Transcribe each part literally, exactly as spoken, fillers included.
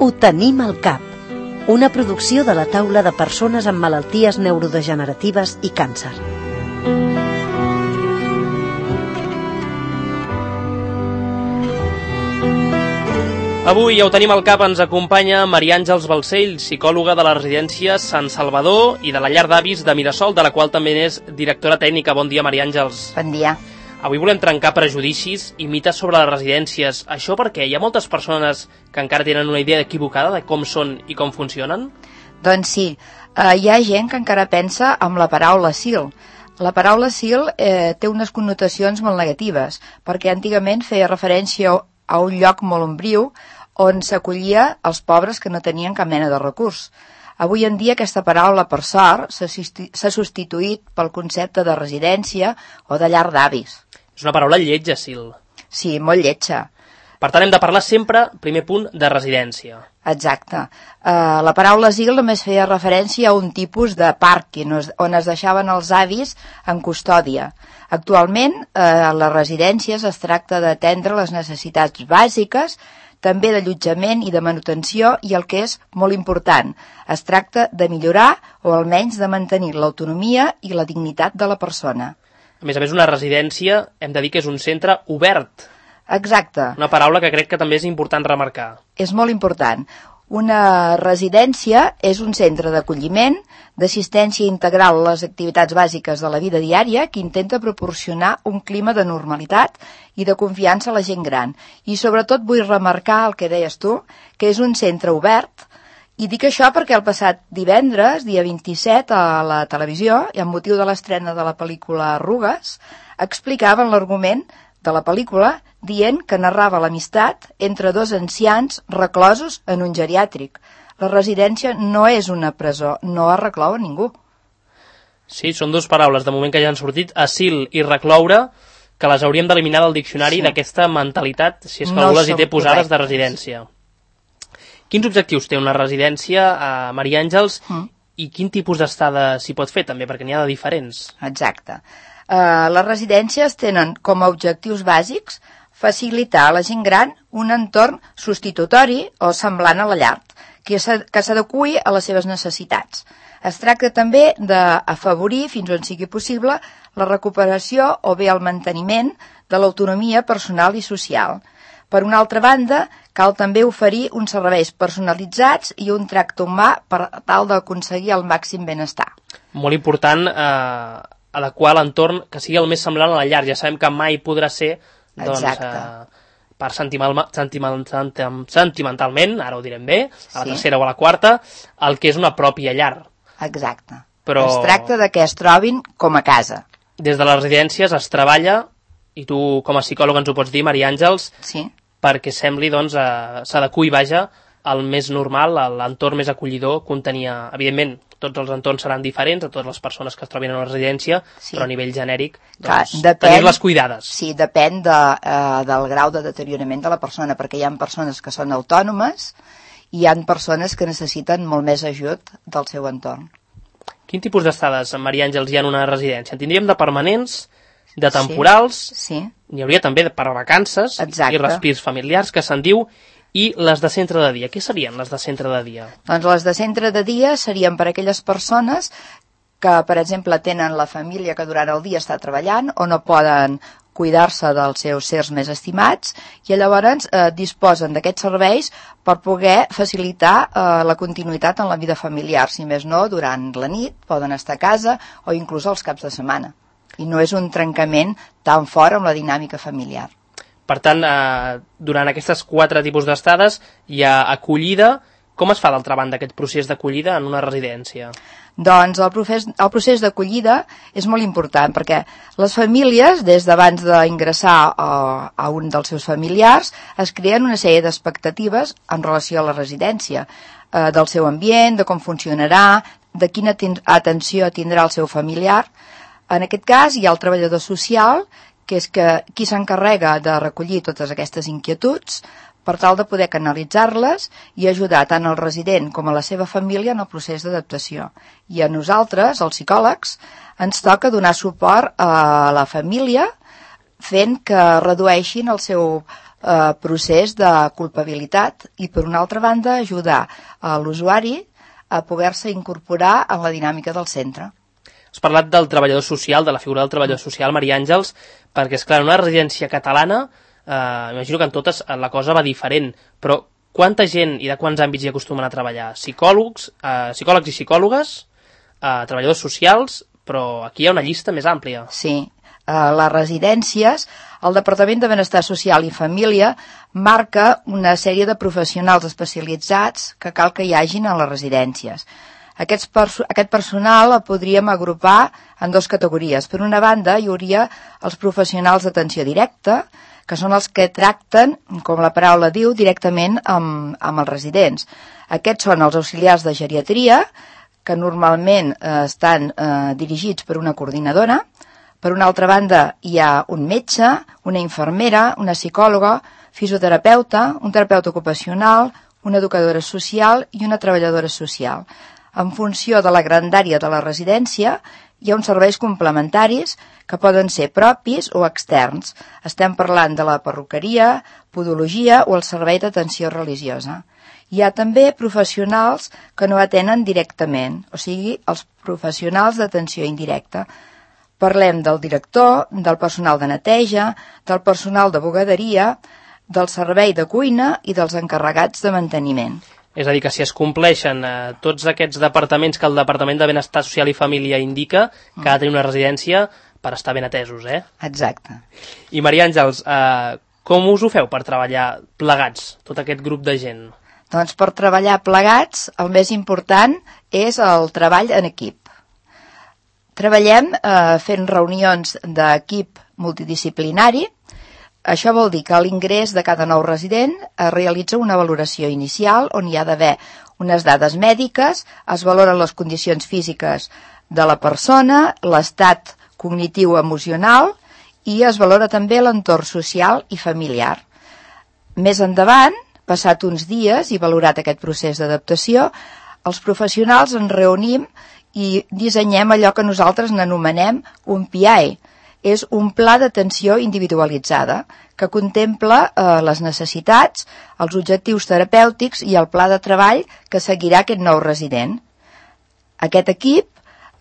Ho tenim al cap. Una producció de la taula de persones amb malalties neurodegeneratives i càncer. Avui ja ho tenim al cap, ens acompanya Maria Àngels Balcells, psicòloga de la residència Sant Salvador i de la llar d'avis de Mirasol, de la qual també és directora tècnica. Bon dia, Maria Àngels. Bon dia. Avui volem trencar prejudicis i mites sobre les residències. Això perquè hi ha moltes persones que encara tenen una idea equivocada de com són i com funcionen? Doncs sí, eh, hi ha gent que encara pensa amb la paraula asil. La paraula asil eh, té unes connotacions molt negatives, perquè antigament feia referència a un lloc molt ombriu on s'acollia els pobres que no tenien cap mena de recurs. Avui en dia aquesta paraula, per sort, s'ha substituït pel concepte de residència o de llar d'avis. És una paraula lletja, asil. Sí, molt lletja. Per tant, hem de parlar sempre, primer punt, de residència. Exacte. Uh, la paraula asil només feia referència a un tipus de pàrquing on es deixaven els avis en custòdia. Actualment, uh, a les residències es tracta d'atendre les necessitats bàsiques, també d'allotjament i de manutenció, i el que és molt important, es tracta de millorar o almenys de mantenir l'autonomia i la dignitat de la persona. A més a més, una residència hem de dir que és un centre obert. Exacte. Una paraula que crec que també és important remarcar. És molt important. Una residència és un centre d'acolliment, d'assistència integral a les activitats bàsiques de la vida diària que intenta proporcionar un clima de normalitat i de confiança a la gent gran. I sobretot vull remarcar el que deies tu, que és un centre obert, i dic això perquè el passat divendres, dia vint-i-set, a la televisió, i amb motiu de l'estrena de la pel·lícula Arrugues, explicaven l'argument de la pel·lícula dient que narrava l'amistat entre dos ancians reclosos en un geriàtric. La residència no és una presó, no es reclou a ningú. Sí, són dues paraules, de moment que ja han sortit, asil i recloure, que les hauríem d'eliminar del diccionari, sí, d'aquesta mentalitat, si és que no algú les hi té posades, correctes, de residència. Quins objectius té una residència, a Maria Àngels, mm. i quin tipus d'estada s'hi pot fer també, perquè n'hi ha de diferents? Exacte. Uh, les residències tenen com a objectius bàsics facilitar a la gent gran un entorn substitutori o semblant a la llar, que s'adeqüi a les seves necessitats. Es tracta també d'afavorir, fins on sigui possible, la recuperació o bé el manteniment de l'autonomia personal i social. Per una altra banda, cal també oferir uns serveis personalitzats i un tracte humà per tal d'aconseguir el màxim benestar. Molt important eh, adequar l'entorn que sigui el més semblant a la llar. Ja sabem que mai podrà ser doncs, eh, per sentimental, sentimental, sentimentalment, ara ho direm bé, a la sí. tercera o a la quarta, el que és una pròpia llar. Exacte. Però es tracta de que es trobin com a casa. Des de les residències es treballa, i tu com a psicòloga ens ho pots dir, Maria Àngels, sí. perquè sembli, doncs, eh, s'adeqüi, vaja, al més normal, a l'entorn més acollidor que un tenia. Evidentment, tots els entorns seran diferents a totes les persones que es trobin en una residència, sí. però a nivell genèric, doncs, tenir-les cuidades. Sí, depèn de, eh, del grau de deteriorament de la persona, perquè hi ha persones que són autònomes i hi ha persones que necessiten molt més ajut del seu entorn. Quin tipus d'estades, Maria Àngels, hi ha en una residència? En tindríem de permanents, de temporals, sí, sí. N'hi hauria també per vacances, exacte, i respirs familiars, que se'n diu, i les de centre de dia. Què serien les de centre de dia? Doncs les de centre de dia serien per a aquelles persones que, per exemple, tenen la família que durant el dia està treballant o no poden cuidar-se dels seus sers més estimats i llavors eh, disposen d'aquests serveis per poder facilitar eh, la continuïtat en la vida familiar. Si més no, durant la nit poden estar a casa o inclús els caps de setmana. I no és un trencament tan fort amb la dinàmica familiar. Per tant, eh, durant aquestes quatre tipus d'estades hi ha acollida. Com es fa, d'altra banda, aquest procés d'acollida en una residència? Doncs el procés, el procés d'acollida és molt important perquè les famílies, des d'abans d'ingressar a, a un dels seus familiars, es creen una sèrie d'expectatives en relació a la residència, eh, del seu ambient, de com funcionarà, de quina atenció tindrà el seu familiar. En aquest cas hi ha el treballador social, que és que qui s'encarrega de recollir totes aquestes inquietuds per tal de poder canalitzar-les i ajudar tant el resident com a la seva família en el procés d'adaptació. I a nosaltres, els psicòlegs, ens toca donar suport a la família fent que redueixin el seu eh, procés de culpabilitat i, per una altra banda, ajudar a l'usuari a poder-se incorporar en la dinàmica del centre. Has parlat del treballador social, de la figura del treballador social, Maria Àngels, perquè, és clar, en una residència catalana, eh, imagino que en totes la cosa va diferent, però quanta gent i de quants àmbits hi acostumen a treballar? Psicòlegs, eh, psicòlegs i psicòlogues, eh, treballadors socials, però aquí hi ha una llista més àmplia. Sí, a les residències, el Departament de Benestar Social i Família marca una sèrie de professionals especialitzats que cal que hi hagin a les residències. Aquest, perso aquest personal el podríem agrupar en dues categories. Per una banda, hi hauria els professionals d'atenció directa, que són els que tracten, com la paraula diu, directament amb, amb els residents. Aquests són els auxiliars de geriatria, que normalment eh, estan eh, dirigits per una coordinadora. Per una altra banda, hi ha un metge, una infermera, una psicòloga, fisioterapeuta, un terapeuta ocupacional, una educadora social i una treballadora social. En funció de la grandària de la residència, hi ha uns serveis complementaris que poden ser propis o externs. Estem parlant de la perruqueria, podologia o el servei d'atenció religiosa. Hi ha també professionals que no atenen directament, o sigui, els professionals d'atenció indirecta. Parlem del director, del personal de neteja, del personal de bugaderia, del servei de cuina i dels encarregats de manteniment. És a dir, que si es compleixen eh, tots aquests departaments que el Departament de Benestar Social i Família indica, que ha de tenir una residència per estar ben atesos, eh? Exacte. I Maria Àngels, eh, com us ho feu per treballar plegats, tot aquest grup de gent? Doncs per treballar plegats, el més important és el treball en equip. Treballem eh, fent reunions d'equip multidisciplinari. Això vol dir que a l'ingrés de cada nou resident es realitza una valoració inicial on hi ha d'haver unes dades mèdiques, es valoren les condicions físiques de la persona, l'estat cognitiu emocional i es valora també l'entorn social i familiar. Més endavant, passat uns dies i valorat aquest procés d'adaptació, els professionals ens reunim i dissenyem allò que nosaltres n'anomenem un P I. És un pla d'atenció individualitzada que contempla eh, les necessitats, els objectius terapèutics i el pla de treball que seguirà aquest nou resident. Aquest equip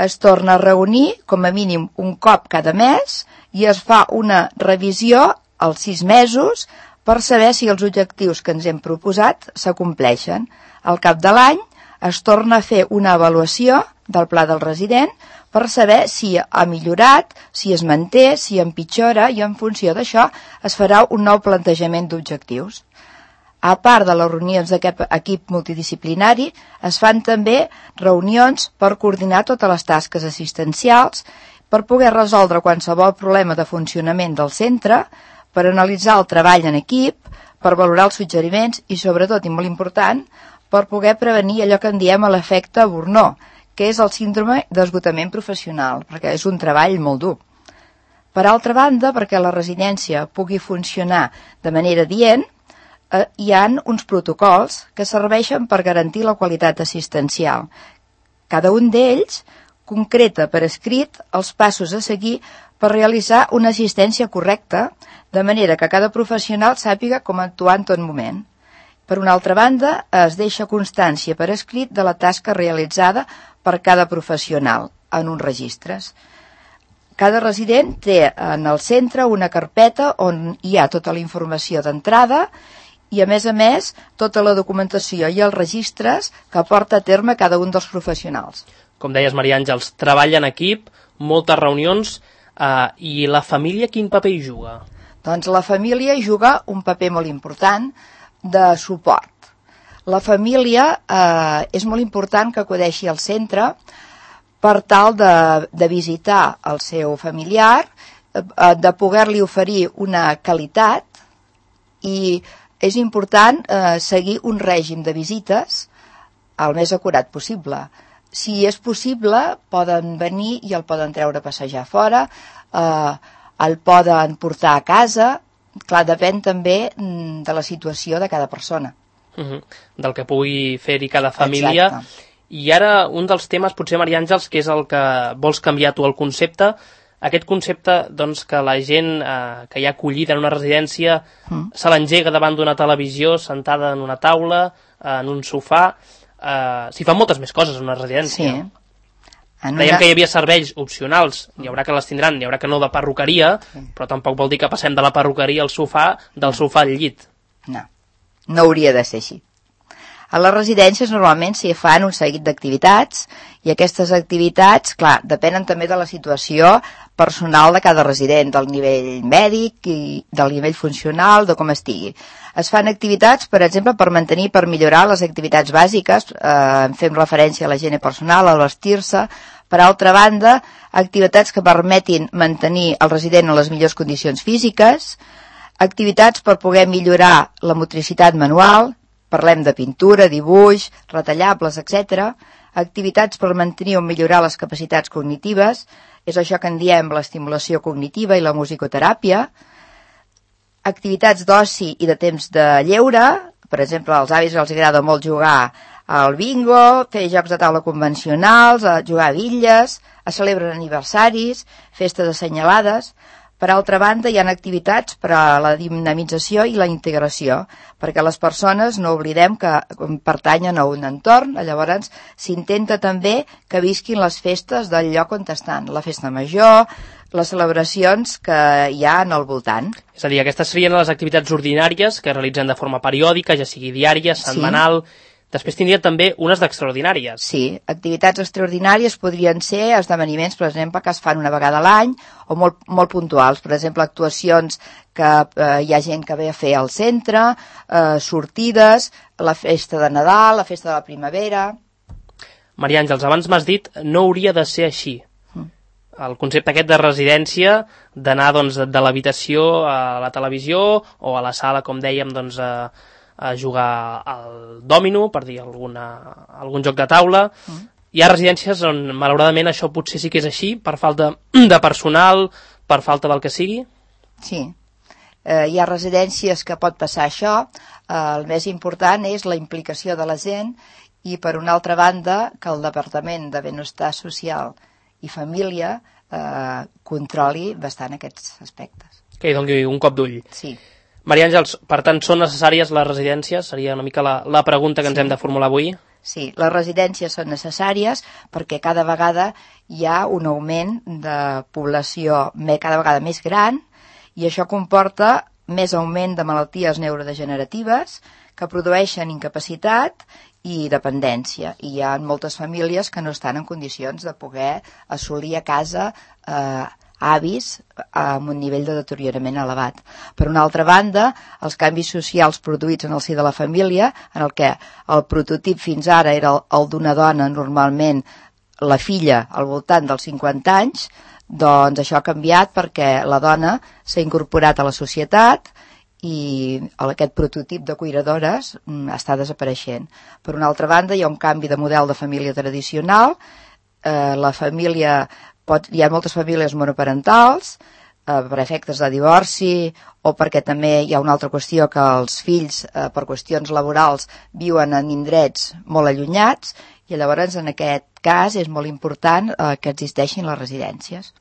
es torna a reunir com a mínim un cop cada mes i es fa una revisió als sis mesos per saber si els objectius que ens hem proposat s'acompleixen. Al cap de l'any es torna a fer una avaluació del pla del resident per saber si ha millorat, si es manté, si empitjora i en funció d'això es farà un nou plantejament d'objectius. A part de les reunions d'aquest equip multidisciplinari, es fan també reunions per coordinar totes les tasques assistencials, per poder resoldre qualsevol problema de funcionament del centre, per analitzar el treball en equip, per valorar els suggeriments i, sobretot, i molt important, per poder prevenir allò que en diem l'efecte Burnout, que és el síndrome d'esgotament professional, perquè és un treball molt dur. Per altra banda, perquè la residència pugui funcionar de manera dient, eh, hi ha uns protocols que serveixen per garantir la qualitat assistencial. Cada un d'ells concreta per escrit els passos a seguir per realitzar una assistència correcta, de manera que cada professional sàpiga com actuar en tot moment. Per una altra banda, es deixa constància per escrit de la tasca realitzada per cada professional en uns registres. Cada resident té en el centre una carpeta on hi ha tota la informació d'entrada i, a més a més, tota la documentació i els registres que porta a terme cada un dels professionals. Com deies, Maria Àngels, treball en equip, moltes reunions, eh, i la família quin paper hi juga? Doncs la família juga un paper molt important de suport. La família eh, és molt important que acudeixi al centre per tal de, de visitar el seu familiar, eh, de poder-li oferir una qualitat i és important eh, seguir un règim de visites el més acurat possible. Si és possible, poden venir i el poden treure a passejar fora, eh, el poden portar a casa. Clar, depèn també de la situació de cada persona. Uh-huh. Del que pugui fer-hi cada família. Exacte. I ara un dels temes, potser, Maria Àngels, que és el que vols canviar tu el concepte, aquest concepte doncs, que la gent eh, que hi ha acollida en una residència mm. se l'engega davant d'una televisió, sentada en una taula, eh, en un sofà. Eh, S'hi fan moltes més coses en una residència. Sí. En Dèiem una... que hi havia serveis opcionals, hi haurà que les tindran, hi haurà que no de perruqueria, sí. però tampoc vol dir que passem de la perruqueria al sofà, del no. sofà al llit. No, no hauria de ser així. A les residències normalment s'hi fan un seguit d'activitats i aquestes activitats, clar, depenen també de la situació personal de cada resident, del nivell mèdic i del nivell funcional, de com estigui. Es fan activitats, per exemple, per mantenir, per millorar les activitats bàsiques, eh, fem referència a la higiene personal, a vestir-se. Per altra banda, activitats que permetin mantenir el resident en les millors condicions físiques, activitats per poder millorar la motricitat manual, parlem de pintura, dibuix, retallables, etcètera, activitats per mantenir o millorar les capacitats cognitives, és això que en diem l'estimulació cognitiva i la musicoteràpia, activitats d'oci i de temps de lleure, per exemple, als avis els agrada molt jugar al bingo, fer jocs de taula convencionals, a jugar a bitlles, a celebrar aniversaris, festes assenyalades. Per altra banda, hi ha activitats per a la dinamització i la integració, perquè les persones no oblidem que pertanyen a un entorn, llavors s'intenta també que visquin les festes del lloc on estan, la festa major, les celebracions que hi ha en el voltant. És a dir, aquestes serien les activitats ordinàries que realitzen de forma periòdica, ja sigui diària, setmanal... Sí. Després tindria també unes d'extraordinàries. Sí, activitats extraordinàries podrien ser esdeveniments, per exemple, que es fan una vegada a l'any o molt, molt puntuals. Per exemple, actuacions que eh, hi ha gent que ve a fer al centre, eh, sortides, la festa de Nadal, la festa de la primavera... Maria Àngels, abans m'has dit no hauria de ser així. Mm. El concepte aquest de residència, d'anar doncs, de l'habitació a la televisió o a la sala, com dèiem, doncs... a a jugar al dòmino, per dir alguna, algun joc de taula. Mm. Hi ha residències on, malauradament, això potser sí que és així, per falta de personal, per falta del que sigui? Sí. Eh, hi ha residències que pot passar això. Eh, el més important és la implicació de la gent i, per una altra banda, que el Departament de Benestar Social i Família eh, controli bastant aquests aspectes. Que hi doni un cop d'ull. Sí. Maria Àngels, per tant, són necessàries les residències? Seria una mica la, la pregunta que ens sí. hem de formular avui. Sí, les residències són necessàries perquè cada vegada hi ha un augment de població cada vegada més gran i això comporta més augment de malalties neurodegeneratives que produeixen incapacitat i dependència. I hi ha moltes famílies que no estan en condicions de poder assolir a casa eh, avis amb un nivell de deteriorament elevat. Per una altra banda, els canvis socials produïts en el si de la família, en el que el prototip fins ara era el, el d'una dona, normalment la filla al voltant dels cinquanta anys, doncs això ha canviat perquè la dona s'ha incorporat a la societat i aquest prototip de cuidadores està desapareixent. Per una altra banda, hi ha un canvi de model de família tradicional, eh, la família Pot, hi ha moltes famílies monoparentals eh, per efectes de divorci o perquè també hi ha una altra qüestió que els fills eh, per qüestions laborals viuen en indrets molt allunyats i llavors en aquest cas és molt important eh, que existeixin les residències.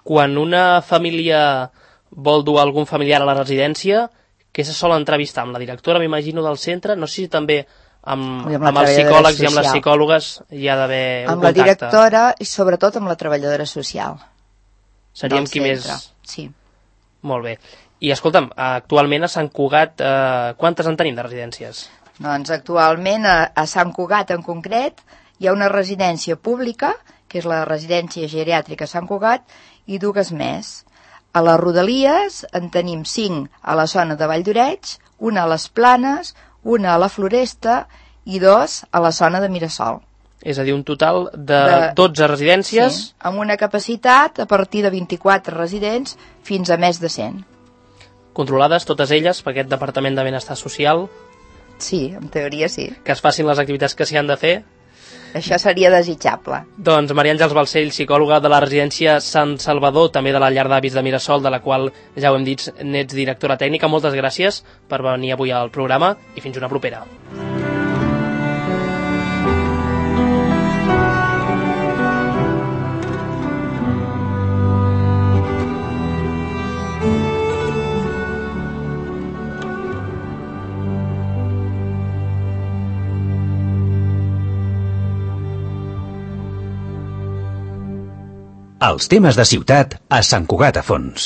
Quan una família vol dur algun familiar a la residència, què se sol entrevistar? Amb la directora, m'imagino, del centre? No sé si també... Amb, amb, amb els psicòlegs social. I amb les psicòlogues hi ha d'haver un amb contacte. Amb la directora i sobretot amb la treballadora social. Seríem qui més... Sí. Molt bé. I escolta'm, actualment a Sant Cugat eh, quantes en tenim de residències? Doncs actualment a, a Sant Cugat en concret hi ha una residència pública, que és la residència geriàtrica Sant Cugat, i dues més. A les Rodalies en tenim cinc a la zona de Valldoreix, una a les Planes, una a la Floresta i dos a la zona de Mirasol. És a dir, un total de, de dotze residències. Sí, amb una capacitat a partir de vint-i-quatre residents fins a més de cent. Controlades totes elles per aquest Departament de Benestar Social? Sí, en teoria sí. Que es facin les activitats que s'hi han de fer? Això seria desitjable. Doncs Maria Àngels Balcell, psicòloga de la residència Sant Salvador, també de la llar d'avis de Mirasol, de la qual ja ho hem dit, n'ets directora tècnica. Moltes gràcies per venir avui al programa i fins una propera. Els temes de ciutat a Sant Cugat a Fons.